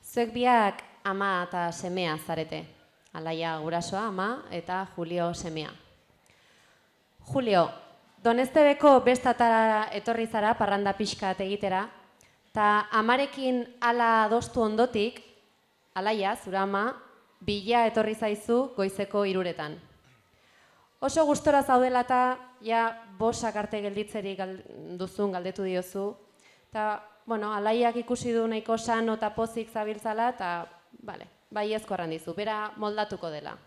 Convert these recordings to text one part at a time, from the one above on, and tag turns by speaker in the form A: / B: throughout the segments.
A: Zuek biak ama eta semea zarete. Alaia gurasoa ama eta Julio semea. Julio, Donestebeko bestatara etorri zara parranda pixkat egitera, eta amarekin ala adostu ondotik, Alaia, zura ama, bila etorri zaizu goizeko 3:00. Oso gustora zaudela eta ja bosak arte gelditzerik duzun galdetu diozu. Eta, Alaiak ikusi du nahiko sano eta pozik zabiltzala eta, bai ezkorran dizu, bera moldatuko dela.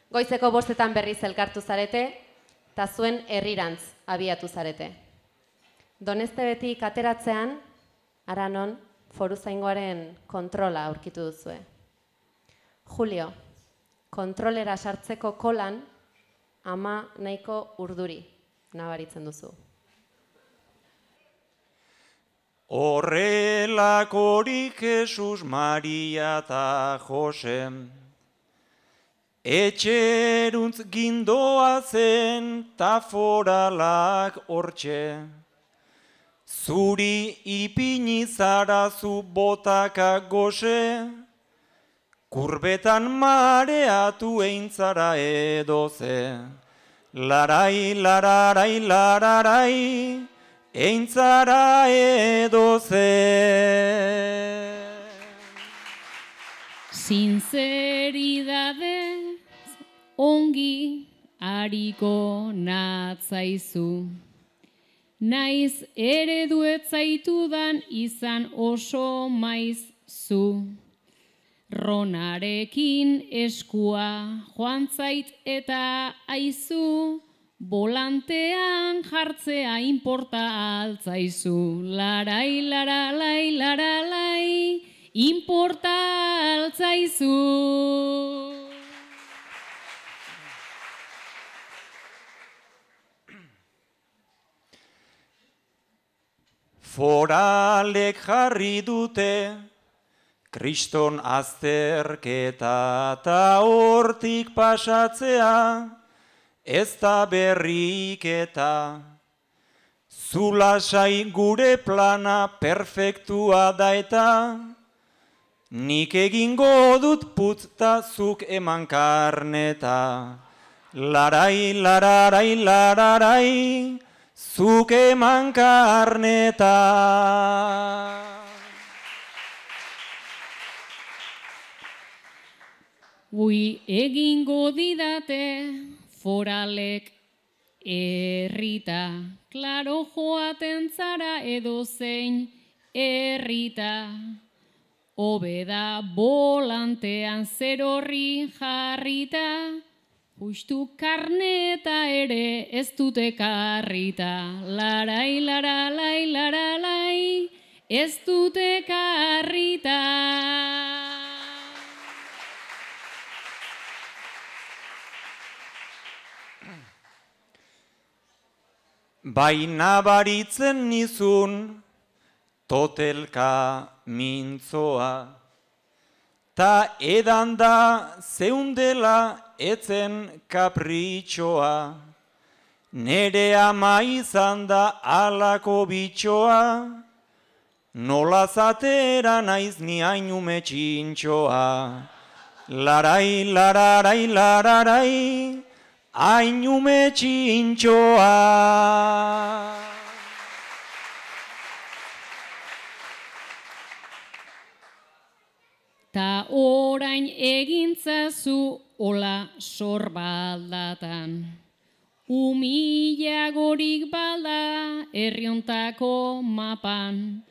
A: Goizeko 5:00 berriz elkartu zarete, eta zuen herrirantz abiatu zarete. Donestebetik ateratzean, Aranon, foruzaingoaren kontrola aurkitu duzue. Julio, kontrolera sartzeko kolan, ama nahiko urduri nabaritzen duzu.
B: Horrelakorik Jesus, Maria eta Jose, etxeruntz gindoa zen ta foralak hortxe, zuri ipini zara zu botaka gose, kurbetan mareatu eintzara edoze, larai, lararai, lararai, eintzara edoze.
C: Sinceridadez ongi hariko natzaizu. Naiz ereduet zaitudan izan oso maizu. Ronarekin eskua joan zait eta aizu, volantean jartzea inporta altzaizu. Larai, laralai, laralai, inporta altzaizu.
B: Foralek jarri dute Kriston azterketa ta hortik pasatzea ez da berriketa. Zulasai gure plana perfektua da eta nik egingo dut putz ta zuk eman karneta. Larai, lararai, lararai, zuk eman karneta.
C: Ui egingo didate foralek errita, klaro joaten zara edozein errita. Hobeda volantean zer horri jarrita, justu karneta ere ez dute karrita. Larai, laralai, laralai, ez dute karrita.
B: Baina baritzen nizun totelka mintzoa, ta edan da zeundela etzen kapritxoa, nere ama izan da alako bitxoa, nola zatera naiz ni hainume txintxoa. Larai, lararai, lararai, hainume txintxoa.
C: Ta orain egintzazu ola sorbaldatan. Umilagorik balda herriontako mapan.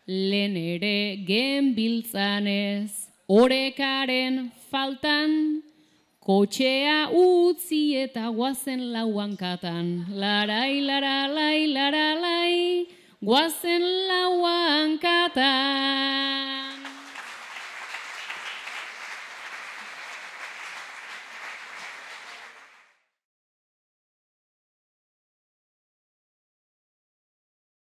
C: Lehen ere genbiltzanez orekaren faltan. Kotxea utzi eta guazen lauankatan. Larai, laralai, laralai, guazen lauankatan.